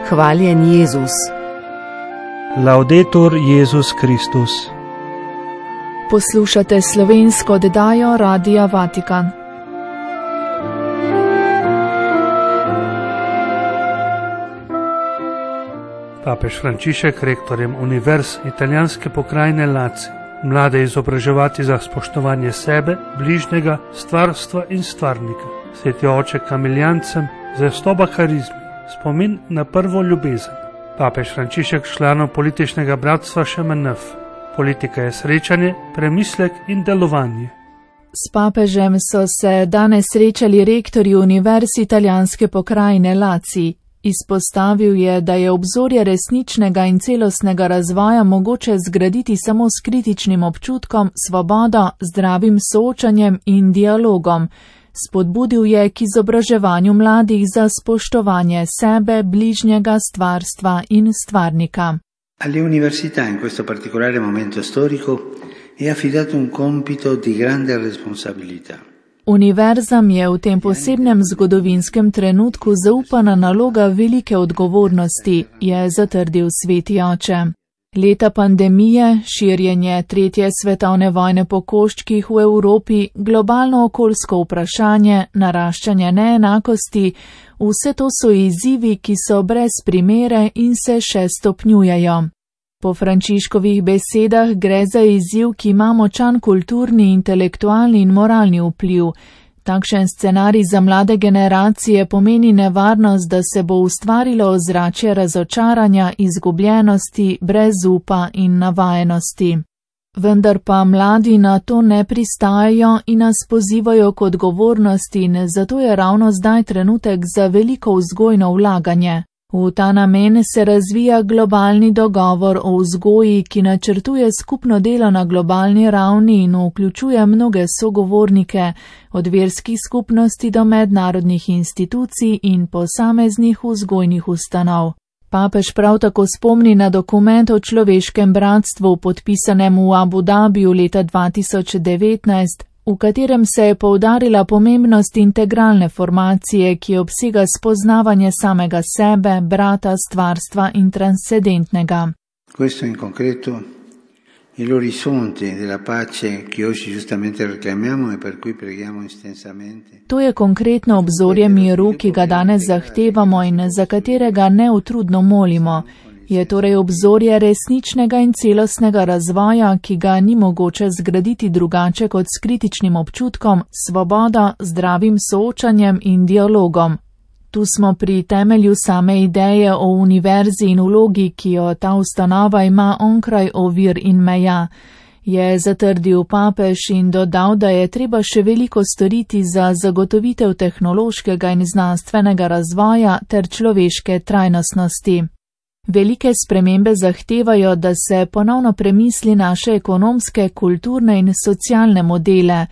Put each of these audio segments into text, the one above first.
Hvaljen Jezus. Laudetur Jezus Kristus. Poslušate slovensko oddajo Radia Vatikan. Papež Frančišek, rektorjem univerz italijanske pokrajine Lazio, mlade izobraževati za spoštovanje sebe, bližnjega, stvarstva in stvarnika. Sveti oče Kamiljancem, zvestoba harizmi, spomin na prvo ljubezen. Papež Frančišek članov političnega bratstva ŠMNF. Politika je srečanje, premislek in delovanje. S papežem so se danes srečali rektorji univerz italijanske pokrajine Lazio. Izpostavil je, da je obzorje resničnega in celostnega razvoja mogoče zgraditi samo s kritičnim občutkom, svobodo, zdravim soočanjem in dialogom. Spodbudil je k izobraževanju mladih za spoštovanje sebe, bližnjega, stvarstva in stvarnika. Alle università in questo particolare momento storico è affidato un compito di grande responsabilità. Univerzam je v tem posebnem zgodovinskem trenutku zaupana naloga velike odgovornosti, je zatrdil sveti oče. Leta pandemije, širjenje tretje svetovne vojne po koščkih v Evropi, globalno okoljsko vprašanje, naraščanje neenakosti, vse to so izzivi, ki so brez primere in se še stopnjujejo. Po Frančiškovih besedah gre za izziv, ki ima močan kulturni, intelektualni in moralni vpliv. Takšen scenarij za mlade generacije pomeni nevarnost, da se bo ustvarilo ozračje razočaranja, izgubljenosti, brezupa in navajenosti. Vendar pa mladi na to ne pristajajo in nas pozivajo k odgovornosti in zato je ravno zdaj trenutek za veliko vzgojno vlaganje. V ta namen se razvija globalni dogovor o vzgoji, ki načrtuje skupno delo na globalni ravni in vključuje mnoge sogovornike, od verskih skupnosti do mednarodnih institucij in posameznih vzgojnih ustanov. Papež prav tako spomni na dokument o človeškem bratstvu, podpisanem v Abu Dhabiju leta 2019, v katerem se je poudarila pomembnost integralne formacije, ki obsega spoznavanje samega sebe, brata, stvarstva in transcendentnega. Questo in concreto è l'orizzonte della pace che oggi giustamente reclamiamo e per cui preghiamo intensamente. To je konkretno obzorje miru, ki ga danes zahtevamo in za katerega neutrudno molimo. Je torej obzorje resničnega in celostnega razvoja, ki ga ni mogoče zgraditi drugače kot s kritičnim občutkom, svobodo, zdravim soočanjem in dialogom. Tu smo pri temelju same ideje o univerzi in vlogi, ki jo ta ustanova ima onkraj ovir in meja, je zatrdil papež in dodal, da je treba še veliko storiti za zagotovitev tehnološkega in znanstvenega razvoja ter človeške trajnostnosti. Velike spremembe zahtevajo, da se ponovno premisli naše ekonomske, kulturne in socialne modele,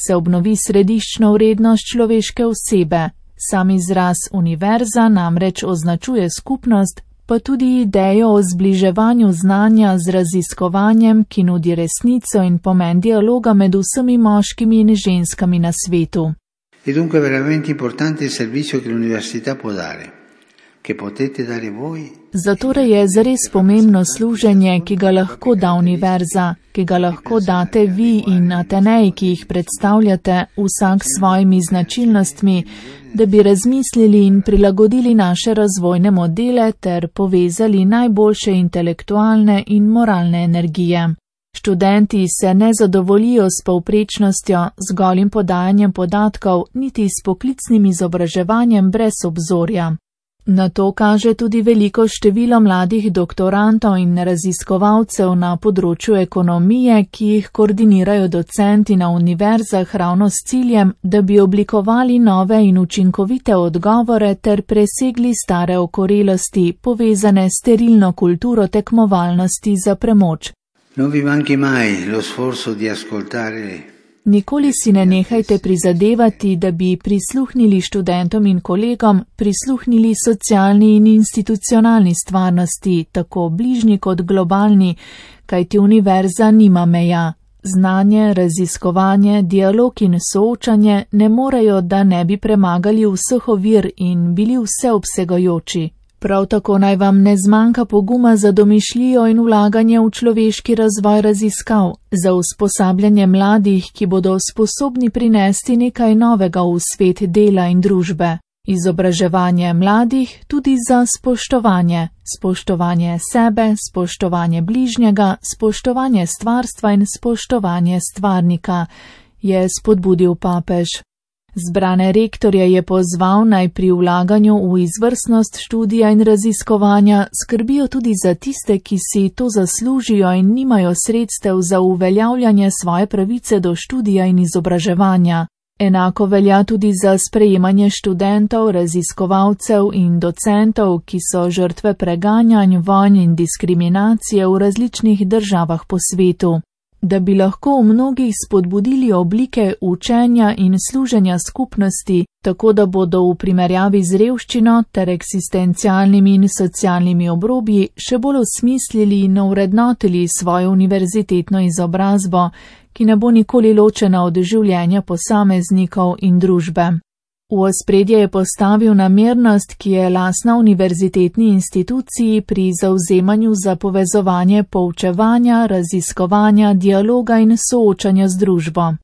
se obnovi središčno vrednost človeške osebe. Sam izraz univerza namreč označuje skupnost, pa tudi idejo o zbliževanju znanja z raziskovanjem, ki nudi resnico in pomen dialoga med vsemi moškimi in ženskami na svetu. È dunque veramente importante il servizio che l'università può dare. Zatorej je zares pomembno služenje, ki ga lahko da univerza, ki ga lahko date vi in Atenej, ki jih predstavljate, vsak s svojimi značilnostmi, da bi razmislili in prilagodili naše razvojne modele ter povezali najboljše intelektualne in moralne energije. Študenti se ne zadovoljijo s povprečnostjo, z golim podajanjem podatkov, niti s poklicnim izobraževanjem brez obzorja. Na to kaže tudi veliko število mladih doktorantov in raziskovalcev na področju ekonomije, ki jih koordinirajo docenti na univerzah ravno s ciljem, da bi oblikovali nove in učinkovite odgovore ter presegli stare okorelosti, povezane s sterilno kulturo tekmovalnosti za premoč. Non vi manchi mai lo sforzo di ascoltare. Nikoli si ne nehajte prizadevati, da bi prisluhnili študentom in kolegom, prisluhnili socialni in institucionalni stvarnosti, tako bližnji kot globalni, kajti univerza nima meja. Znanje, raziskovanje, dialog in soočanje ne morejo, da ne bi premagali vseh ovir in bili vseobsegajoči. Prav tako naj vam ne zmanjka poguma za domišljijo in vlaganje v človeški razvoj raziskav, za usposabljanje mladih, ki bodo sposobni prinesti nekaj novega v svet dela in družbe. Izobraževanje mladih tudi za spoštovanje. Spoštovanje sebe, spoštovanje bližnjega, spoštovanje stvarstva in spoštovanje stvarnika, je spodbudil papež. Zbrane rektorje je pozval, naj pri vlaganju v izvrstnost študija in raziskovanja skrbijo tudi za tiste, ki si to zaslužijo in nimajo sredstev za uveljavljanje svoje pravice do študija in izobraževanja. Enako velja tudi za sprejemanje študentov, raziskovalcev in docentov, ki so žrtve preganjanj, vojn in diskriminacije v različnih državah po svetu. Da bi lahko v mnogih spodbudili oblike učenja in služenja skupnosti, tako da bodo v primerjavi z revščino ter eksistencialnimi in socialnimi obrobji še bolj osmislili in ovrednotili svojo univerzitetno izobrazbo, ki ne bo nikoli ločena od življenja posameznikov in družbe. V ospredje je postavil namernost, ki je lastna univerzitetni instituciji pri zavzemanju za povezovanje poučevanja, raziskovanja, dialoga in soočanja z družbo.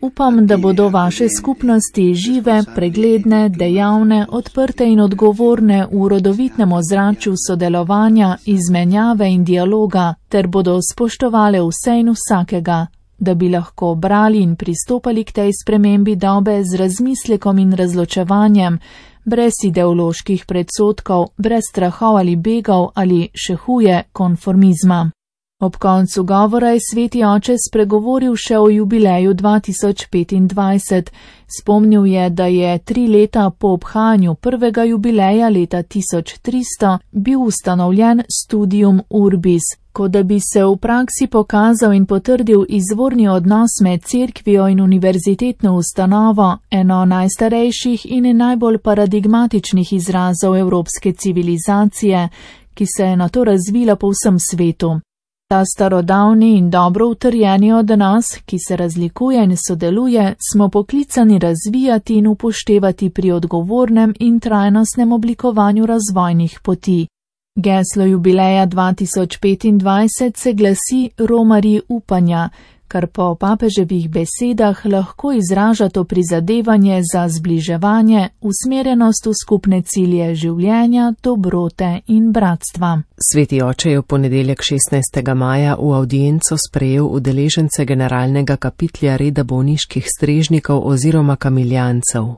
Upam, da bodo vaše skupnosti žive, pregledne, dejavne, odprte in odgovorne v rodovitnem ozračju sodelovanja, izmenjave in dialoga, ter bodo spoštovale vse in vsakega, da bi lahko brali in pristopali k tej spremembi dobe z razmislekom in razločevanjem, brez ideoloških predsodkov, brez strahov ali begov ali, še huje, konformizma. Ob koncu govora je sveti oče spregovoril še o jubileju 2025. Spomnil je, da je 3 leta po obhajanju prvega jubileja leta 1300 bil ustanovljen Studium Urbis, kot da bi se v praksi pokazal in potrdil izvorni odnos med cerkvijo in univerzitetno ustanovo, eno najstarejših in najbolj paradigmatičnih izrazov evropske civilizacije, ki se je nato razvila po vsem svetu. Ta starodavni in dobro utrjeni odnos, ki se razlikuje in sodeluje, smo poklicani razvijati in upoštevati pri odgovornem in trajnostnem oblikovanju razvojnih poti. Geslo jubileja 2025 se glasi Romarji upanja, kar po papeževih besedah lahko izraža to prizadevanje za zbliževanje, usmerjenost v skupne cilje življenja, dobrote in bratstva. Sveti oče je v ponedeljek 16. maja v avdienco sprejel udeležence generalnega kapitlja reda bolniških strežnikov oziroma kamiljancev.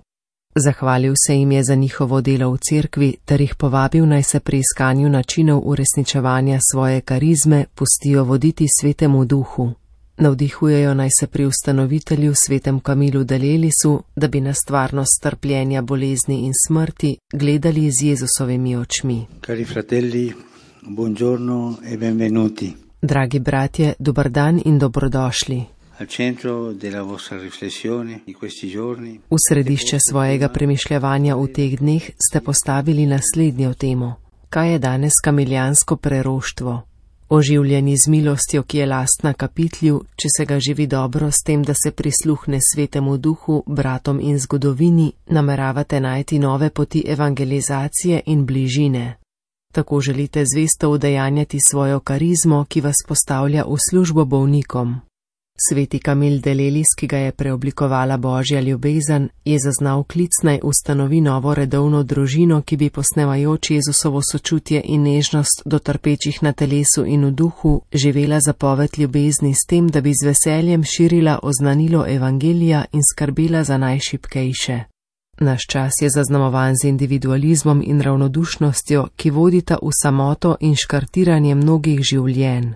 Zahvalil se jim je za njihovo delo v cerkvi ter jih povabil, naj se pri iskanju načinov uresničevanja svoje karizme pustijo voditi svetemu duhu. Navdihujejo naj se pri ustanovitelju svetem Kamilu Dalelisu, da bi na stvarnost trpljenja, bolezni in smrti gledali z Jezusovimi očmi. Cari fratelli, buongiorno e benvenuti. Dragi bratje, dober dan in dobrodošli. V središče svojega premišljevanja v teh dneh ste postavili naslednjo temo. Kaj je danes kamiljansko preroštvo? Oživljeni z milostjo, ki je lastna kapitlju, če se ga živi dobro s tem, da se prisluhne svetemu duhu, bratom in zgodovini, nameravate najti nove poti evangelizacije in bližine. Tako želite zvesto udejanjati svojo karizmo, ki vas postavlja v službo bolnikom. Sveti Kamil Dalelis, ki ga je preoblikovala Božja ljubezen, je zaznal klic, naj ustanovi novo redovno družino, ki bi posnemajoč Jezusovo sočutje in nežnost do trpečih na telesu in v duhu živela zapoved ljubezni s tem, da bi z veseljem širila oznanilo evangelija in skrbela za najšibkejše. Naš čas je zaznamovan z individualizmom in ravnodušnostjo, ki vodita v samoto in škartiranje mnogih življenj.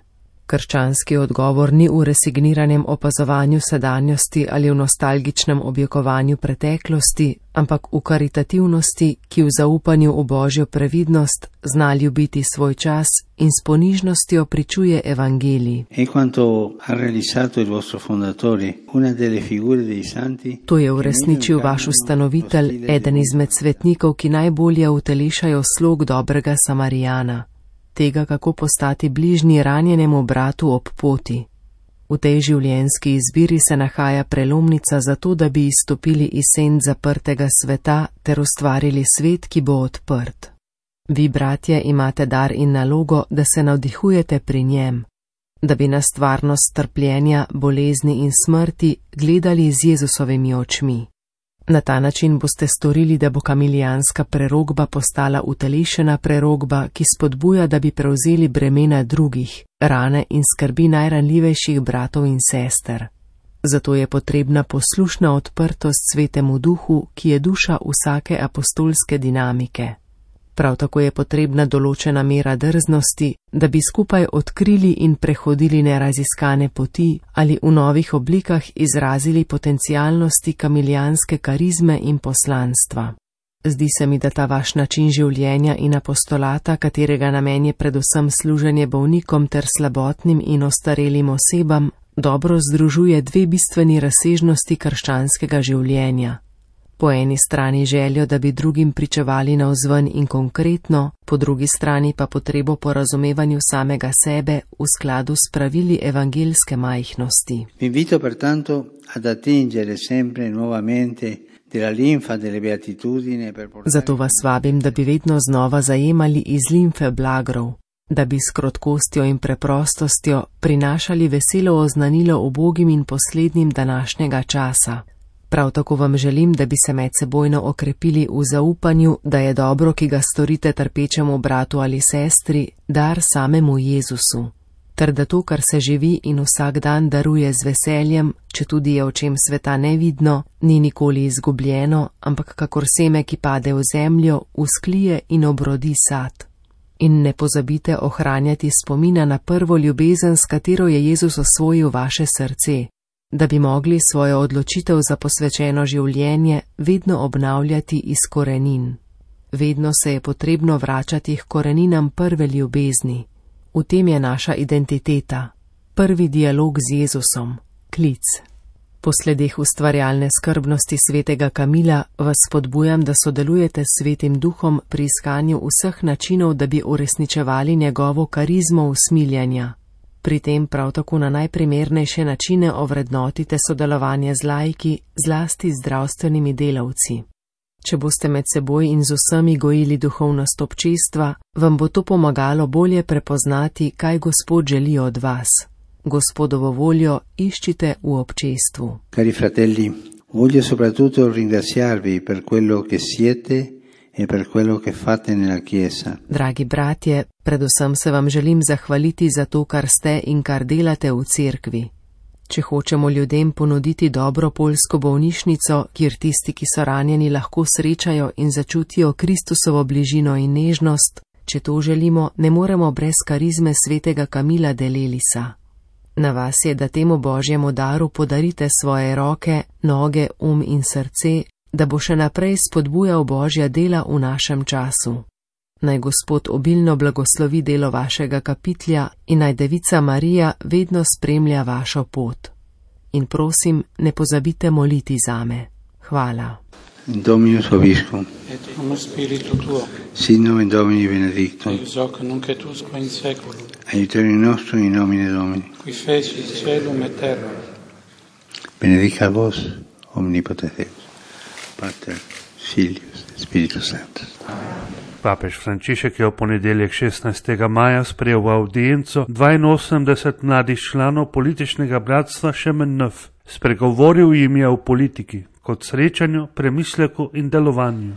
Krščanski odgovor ni v resigniranem opazovanju sedanjosti ali v nostalgičnem objekovanju preteklosti, ampak v karitativnosti, ki v zaupanju v Božjo previdnost zna ljubiti svoj čas in s ponižnostjo pričuje evangelij. To je uresničil vaš ustanovitelj, eden izmed svetnikov, ki najbolje utelešajo slog dobrega Samarijana. Tega, kako postati bližnji ranjenemu bratu ob poti. V tej življenjski izbiri se nahaja prelomnica za to, da bi izstopili iz senc zaprtega sveta ter ustvarili svet, ki bo odprt. Vi, bratje, imate dar in nalogo, da se navdihujete pri njem, da bi na stvarnost trpljenja, bolezni in smrti gledali z Jezusovimi očmi. Na ta način boste storili, da bo kamilijanska prerokba postala utelešena prerokba, ki spodbuja, da bi prevzeli bremena drugih, rane in skrbi najranljivejših bratov in sester. Zato je potrebna poslušna odprtost Svetemu Duhu, ki je duša vsake apostolske dinamike. Prav tako je potrebna določena mera drznosti, da bi skupaj odkrili in prehodili neraziskane poti ali v novih oblikah izrazili potencialnosti kamilijanske karizme in poslanstva. Zdi se mi, da ta vaš način življenja in apostolata, katerega namen je predvsem služenje bolnikom ter slabotnim in ostarelim osebam, dobro združuje dve bistveni razsežnosti krščanskega življenja. Po eni strani željo, da bi drugim pričevali navzven in konkretno, po drugi strani pa potrebo po razumevanju samega sebe v skladu s pravili evangeljske majhnosti. Vi invito pertanto ad attingere sempre nuovamente della linfa delle beatitudini per portare... Zato vas vabim, da bi vedno znova zajemali iz limfe blagrov, da bi s krotkostjo in preprostostjo prinašali veselo oznanilo ubogim in poslednjim današnjega časa. Prav tako vam želim, da bi se medsebojno okrepili v zaupanju, da je dobro, ki ga storite trpečemu bratu ali sestri, dar samemu Jezusu, ter da to, kar se živi in vsak dan daruje z veseljem, četudi je očem sveta nevidno, ni nikoli izgubljeno, ampak kakor seme, ki pade v zemljo, vzklije in obrodi sad. In ne pozabite ohranjati spomina na prvo ljubezen, s katero je Jezus osvojil vaše srce, da bi mogli svojo odločitev za posvečeno življenje vedno obnavljati iz korenin. Vedno se je potrebno vračati k koreninam prve ljubezni. V tem je naša identiteta, prvi dialog z Jezusom, klic. Po sledeh ustvarjalne skrbnosti svetega Kamila vas spodbujam, da sodelujete s Svetim Duhom pri iskanju vseh načinov, da bi uresničevali njegovo karizmo usmiljanja. Pri tem prav tako na najprimernejše načine ovrednotite sodelovanje z laiki, zlasti zdravstvenimi delavci. Če boste med seboj in z vsemi gojili duhovnost občestva, vam bo to pomagalo bolje prepoznati, kaj Gospod želi od vas. Gospodovo voljo iščite v občestvu. Cari fratelli, voglio soprattutto ringraziarvi per quello che siete e per quello che fate nella Chiesa. Dragi bratje, predvsem se vam želim zahvaliti za to, kar ste in kar delate v cerkvi. Če hočemo ljudem ponuditi dobro poljsko bolnišnico, kjer tisti, ki so ranjeni, lahko srečajo in začutijo Kristusovo bližino in nežnost, če to želimo, ne moremo brez karizme svetega Kamila de Lelisa. Na vas je, da temu Božjemu daru podarite svoje roke, noge, in srce, da bo še naprej spodbujal Božja dela v našem času. Naj Gospod obilno blagoslovi delo vašega kapitlja in naj Devica Marija vedno spremlja vašo pot. In prosim, ne pozabite moliti zame. Hvala. Dominus vobiscum. Et homo spiritu tuo. Sit nomen Domini benedictum. Eius hoc nunc et usque in saeculum. Aiuterium nostrum in nomine Domini. Qui fecit caelum et terram. Benedicat vos, omnipotens Deus, Pater, Filius, Spiritus Sanctus. Papež Frančišek je v ponedeljek 16. maja sprejel v audienco 82 mladih članov političnega bratstva Šemen-Nöf. Spregovoril jim je o politiki, kot srečanju, premisleku in delovanju.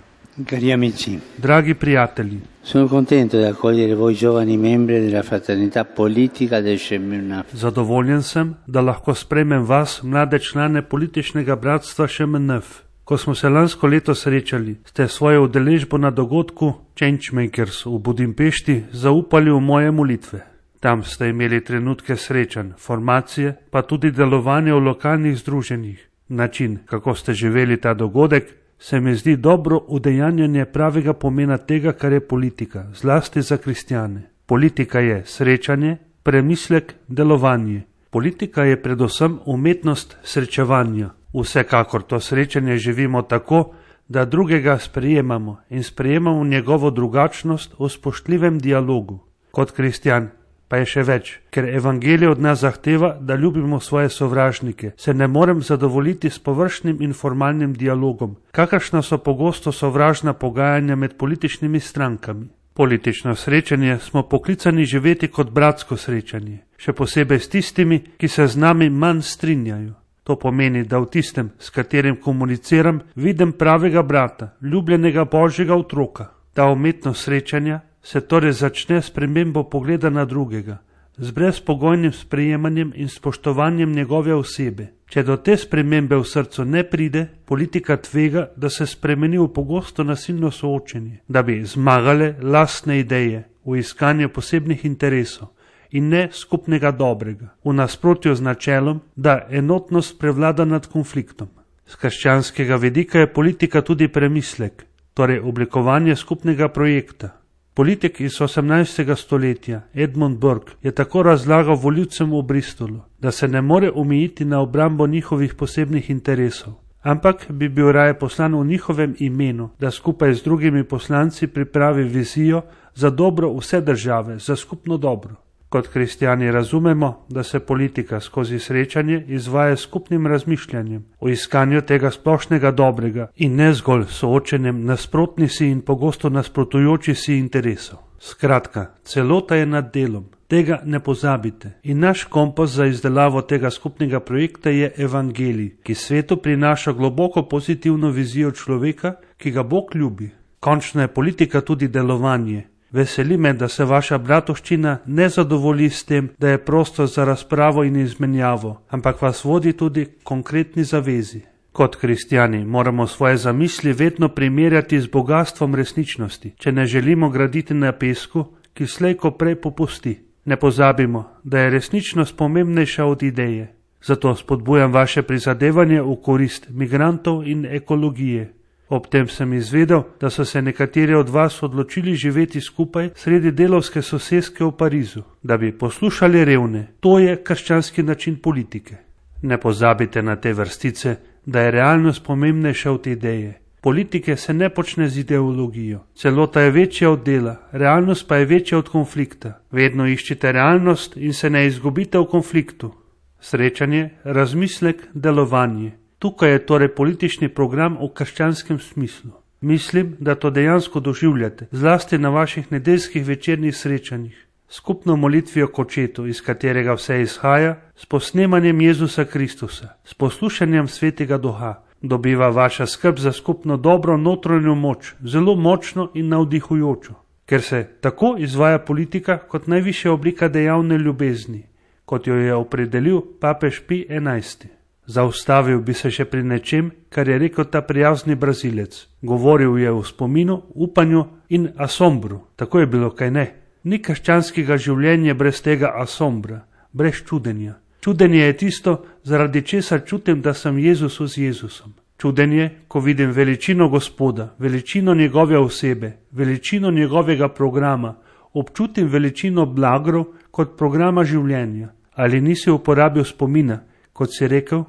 Cari amici, dragi prijatelji, sono contento di accogliere voi giovani membri della fraternità politica del Šemen-Nöf. Zadovoljen sem, da lahko sprejmem vas, mlade člane političnega bratstva Šemen-Nöf. Ko smo se lansko leto srečali, ste svojo udeležbo na dogodku Changemakers v Budimpešti zaupali v moje molitve. Tam ste imeli trenutke srečanj, formacije, pa tudi delovanje v lokalnih združenjih. Način, kako ste živeli ta dogodek, se mi zdi dobro udejanjanje pravega pomena tega, kar je politika, zlasti za kristjane. Politika je srečanje, premislek, delovanje. Politika je predvsem umetnost srečevanja. Vsekakor to srečanje živimo tako, da drugega sprejemamo in sprejemamo njegovo drugačnost v spoštljivem dialogu. Kot kristjan pa je še več, ker evangelij od nas zahteva, da ljubimo svoje sovražnike. Se ne morem zadovoljiti s površnim in formalnim dialogom, kakršna so pogosto sovražna pogajanja med političnimi strankami. Politično srečanje smo poklicani živeti kot bratsko srečanje, še posebej s tistimi, ki se z nami manj strinjajo. To pomeni, da v tistem, s katerim komuniciram, vidim pravega brata, ljubljenega Božjega otroka. Ta umetnost srečanja se torej začne s spremembo pogleda na drugega, z brezpogojnim sprejemanjem in spoštovanjem njegove osebe. Če do te spremembe v srcu ne pride, politika tvega, da se spremeni v pogosto nasilno soočenje, da bi zmagale lastne ideje v iskanju posebnih interesov in ne skupnega dobrega, v nasprotju z načelom, da enotnost prevlada nad konfliktom. Z krščanskega vidika je politika tudi premislek, torej oblikovanje skupnega projekta. Politik iz 18. stoletja Edmund Burke je tako razlagal volivcem v Bristolu, da se ne more omejiti na obrambo njihovih posebnih interesov, ampak bi bil raje poslan v njihovem imenu, da skupaj z drugimi poslanci pripravi vizijo za dobro vse države, za skupno dobro. Kot kristjani razumemo, da se politika skozi srečanje izvaja skupnim razmišljanjem o iskanju tega splošnega dobrega in ne zgolj soočenjem nasprotnih si in pogosto nasprotujočih si interesov. Skratka, celota je nad delom, tega ne pozabite. In naš kompas za izdelavo tega skupnega projekta je evangelij, ki svetu prinaša globoko pozitivno vizijo človeka, ki ga Bog ljubi. Končno je politika tudi delovanje. Veseli me, da se vaša bratovščina ne zadovolji s tem, da je prostor za razpravo in izmenjavo, ampak vas vodi tudi konkretni zavezi. Kot kristjani moramo svoje zamisli vedno primerjati z bogastvom resničnosti, če ne želimo graditi na pesku, ki slej ko prej popusti. Ne pozabimo, da je resničnost pomembnejša od ideje. Zato spodbujam vaše prizadevanje v korist migrantov in ekologije. Ob tem sem izvedel, da so se nekateri od vas odločili živeti skupaj sredi delovske soseske v Parizu, da bi poslušali revne. To je krščanski način politike. Ne pozabite na te vrstice, da je realnost pomembnejša od ideje. Politike se ne počne z ideologijo. Celota je večja od dela, realnost pa je večja od konflikta. Vedno iščite realnost in se ne izgubite v konfliktu. Srečanje, razmislek, delovanje. Tukaj je torej politični program v krščanskem smislu. Mislim, da to dejansko doživljate, zlasti na vaših nedeljskih večernih srečanjih. Skupno molitvijo k Očetu, iz katerega vse izhaja, s posnemanjem Jezusa Kristusa, s poslušanjem Svetega Duha, dobiva vaša skrb za skupno dobro notranjo moč, zelo močno in navdihujočo. Ker se tako izvaja politika kot najvišja oblika dejavne ljubezni, kot jo je opredelil papež Pij XI. Zaustavil bi se še pri nečem, kar je rekel ta prijazni Brazilec. Govoril je o spominu, upanju in asombru. Tako je bilo, kaj ne? Ni krščanskega življenja brez tega asombra, brez čudenja. Čudenje je tisto, zaradi česar čutim, da sem Jezusu z Jezusom. Čudenje, ko vidim veličino Gospoda, veličino njegove osebe, veličino njegovega programa, občutim veličino blagrov kot programa življenja. Ali nisi uporabil spomina, kot si rekel?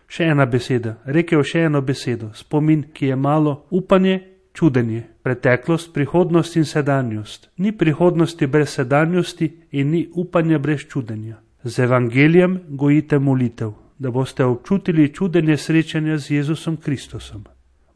Še ena beseda, rekel še eno besedo, spomin, ki je malo, upanje, čudenje, preteklost, prihodnost in sedanjost. Ni prihodnosti brez sedanjosti in ni upanja brez čudenja. Z evangelijem gojite molitev, da boste občutili čudenje srečanja z Jezusom Kristusom.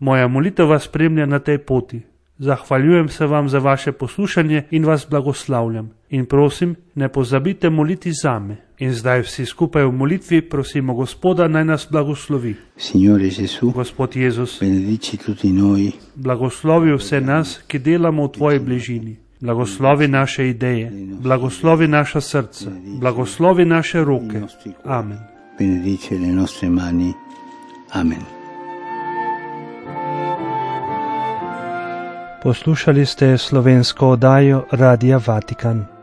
Moja molitev vas spremlja na tej poti. Zahvaljujem se vam za vaše poslušanje in vas blagoslavljam. In prosim, ne pozabite moliti zame. In zdaj vsi skupaj v molitvi prosimo Gospoda, naj nas blagoslovi. Signore Gesù, Gospod Jezus, benedici tutti noi. Blagoslovi vse nas, ki delamo v tvoji bližini. Blagoslovi naše ideje, blagoslovi naša srca, blagoslovi naše roke. Amen. Benedice le nostre mani. Amen. Poslušali ste slovensko oddajo Radia Vatikan.